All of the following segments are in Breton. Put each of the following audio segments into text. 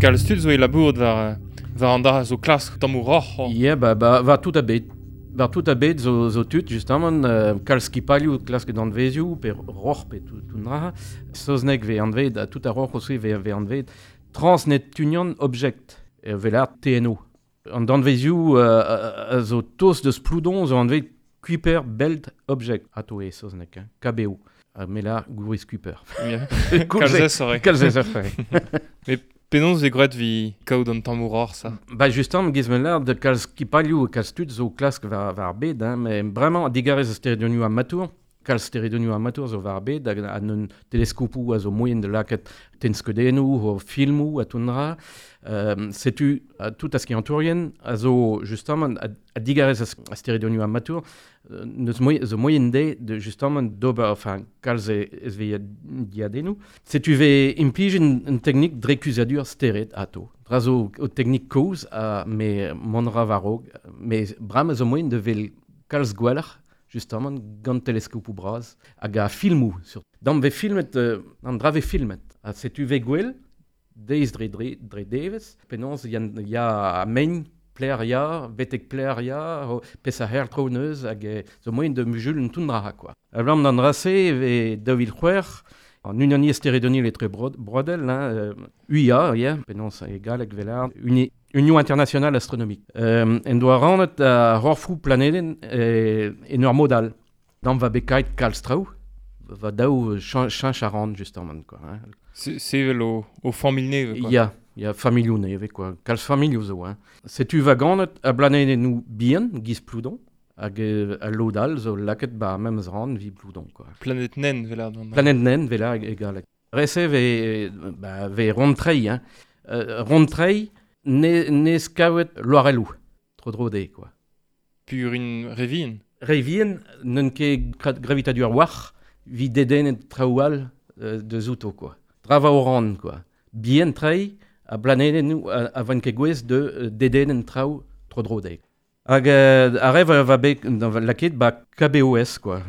Kalz tud zo e labourat war, war an dra zo klask tammoù roc'h. Ya, ba, ba, war tout a bed. War tout a bed zo, zo tud, justement, kalz skipalioù klask danvezioù, pe roc'h, pe tout, tout dra. Saozneg ve anvet, ha tout a roc'h aussi ve, ve anvet. Transneptunian Object, velar TNO. An danvezioù a zo tost deus Ploudon zo anvet Kuiper Belt Object, ato e saozneg, hein, KBO. Ha me lar Gouriz Kuiper. Yeah. Kalz ez Kalz ez Mais penaos e gwraet vi kaout an tammoù roc'h ça? Ba justement, giz me lar de kalz skipalioù kalz tud zo klask war, war ar bed, hein, mais bremañ digarez a steredonioù amatour, kalz steredonioù amatour zo war ar bed hag an un teleskopoù a zo moien da lakaat tenskeudennoù, o filmoù ha tout dra. Setu tout a skiantourien a zo justement a, a digarez a steredonioù amatour neus moien, zo moien de, de justement d'ober enfin kalz ez ve diadennoù. Setu ve implij un teknik dre kuzadur stered ato. Dra zo o teknik kozh ha me mont ra war-raok, mais bremañ zo moien de vel kalz gwelloc'h justement gant teleskopoù bras hag a filmoù sur. Dam ve filmet an dra ve filmet. Ha setu ve gwell deiz dre dre, dre devezh penaos ya, ya a mein pler ya, betek pler ya, ho, pes a her tro neuz hag zo moien de mujul un toun dra quoi. Ablam d'an dra-se ve 2006 an unaniezh steredoniel etre brodel, hein, UIA, ya, penaos e galleg velar, Uni, Union Internationale Astronomique. En doa rannet ar c'horfoù planedenn en ur mod all. Dam va bet kalz traoù, va daou cheñch a ran justement quoi. Hein. Sevel o, o familh nevez quoi. Ya, ya familhoù nevez quoi. Kalz familhoù zo hein. Setu va ganet a blanedennoù bihan, giz Ploudon, hag al lod all zo lakaet ba memes ran vi Ploudon quoi. Planète naine vela. Planète naine vela e galleg. Rese ve ba ve rond-treiñ hein. Rond-treiñ ne ne skavet loarelloù tro-dro dezhe quoi. Pur un re vihan. Re vihan n'eus ket gravitadur war vi dedennet traoù all deus outo quoi. Dra va oran quoi. Bihan treiñ a blanedennoù a van ket gouez de dedennet traoù tro-dro dezhe. Hag ar re va bet lakaet ba KBOS quoi.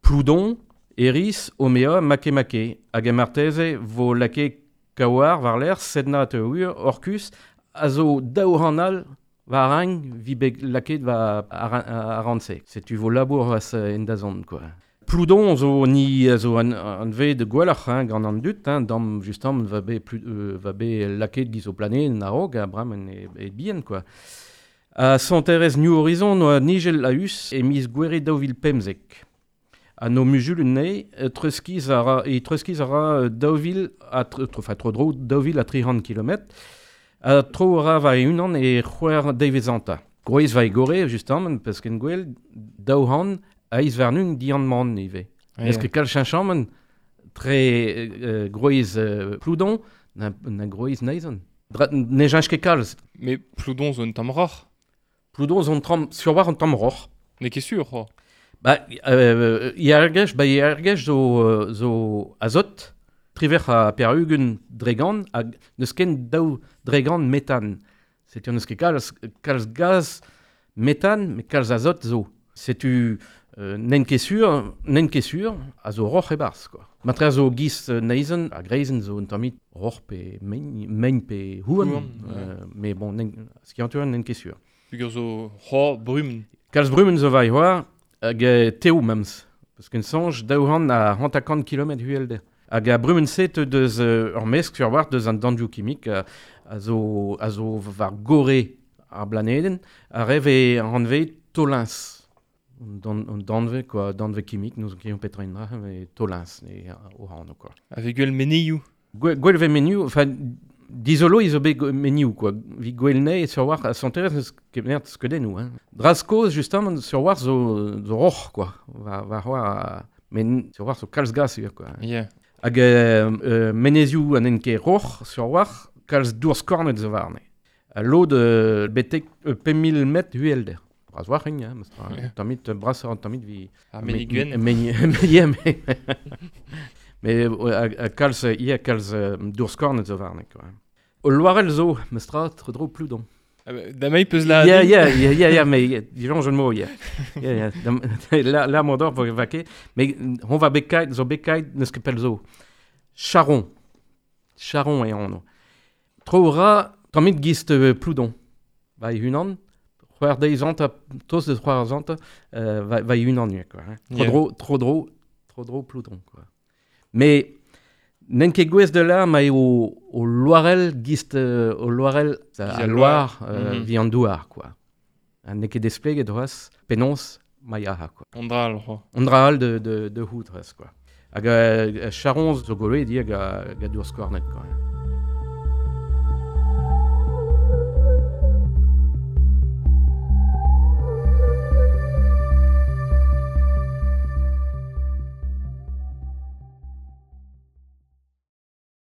Ploudon, Eris, Omea, Makemake. Hag e marteze vo lakaet Kaouar war-lerc'h, Sedna Teour, Orcus, a zo daou ran all war ragn vi bet lakaet war ar ran-se. Setu vo labour az en dazont quoi. Ploudon zo ni zo an, an ved gwelloc'h hein, gant an dud, hein, dam justement va bet, plu, va bet lakaet giz o planedenn a-raok, ha bremañ e, e bihan quoi. Ha sonterezh New Horizon oa nijel a-us e miz Gouere 2015. Ha no muzul anezhe treuzkiz a ra, e treuzkiz a ra 2000 ha enfin tro-dro 2300 kilometr. Ha tro a ra war e-unan e c'hwec'h devezh-hanter. Gwrez va e gore, justement, parce ken gwell, 200 eizh warn-ugent dian-man ivez. Est-ce que kalz cheñchamant tre gwrez Ploudon na, na gwrez Neizhan? Ne cheñch ket kalz. Mais Ploudon zo un tamm roc'h. Ploudon zo un tamm, sur war un tamm roc'h. N'eo ket sûr, c'hoazh. Ba, Iergech, ba Iergech zo, zo azot, trivec'h ha pevar-ugent dregant, hag n'eus ken daou dregant metan. Setu n'eus ket kalz, kalz gaz metan, met kalz azot zo. Setu n'en ket sûr, n'en ket sûr, a zo roc'h e-barzh, quoi. Matre a zo giz Neizhan, ha Greizenn zo un tammig roc'h pe mein, mein pe houarn, Houarn, ouais. Mais bon, n'en, skiantour n'en ket sûr. Peogwir zo c'hoar brumenn. Kalz brumenn zo war e c'hoar, hag tev memes. Parce qu'en soñj 250 kilometr uhelder. Hag ar brumenn-se teu deus ur mesk sur war deus an danvioù kimik a zo, a zo war gorre ar blanedenn, a re vez anvet tolins. An danvez, quoi, danvez kimik, n'ouzon ket petra int dra, mais tolins e o anv, quoi. Avec gwell menioù. Gwell vez menioù, enfin, dizolo zo bet menioù, quoi. Vi gwell nei sur war, santerez n'eus ket mert skeudennoù, hein. Dra kozh, justement, sur war zo, zo roc'h, quoi. War, war, war, met sur war zo kalz gas ivez, quoi. Yeah. Hag menezioù an en ket roc'h, sur war, kalz dour skornet zo warne. Ha lod betek 5000 metr uhelder. Bras war hein, mestra. Yeah. Tammit brasoc'h an tammit vi... Ar meni gwenn. Meni, yeah, mais... mais a kalz, ia kalz dour skornet zo warne, quoi. O loarell zo, mestra, tro-dro Ploudon. Ah bah, damai peus la... Yeah, yeah, yeah, yeah, yeah, mais disons jeu de mots, yeah. Yeah, yeah. La, la mondor vo vake, mais on va bekait, zo bekait, n'eus ket pell zo. Charon. Charon e anv. Tro ra, tammit gist Ploudon. Va unan, c'hwec'h deiz anta, tost deus c'hwec'h anta, va unan quoi. Hein. Tro dro, tro dro, tro dro Ploudon, quoi. Mais n'en ket gwez de la, ma eo o loarel gist o loarel a loar vi an douar, quoi. N'eo ket despleget c'hoazh penaos ma yaha, quoi. On dra al, c'hoa. On dra al de hout c'hoazh, quoi. Hag charon zo goloet di hag a dour skornet, quoi.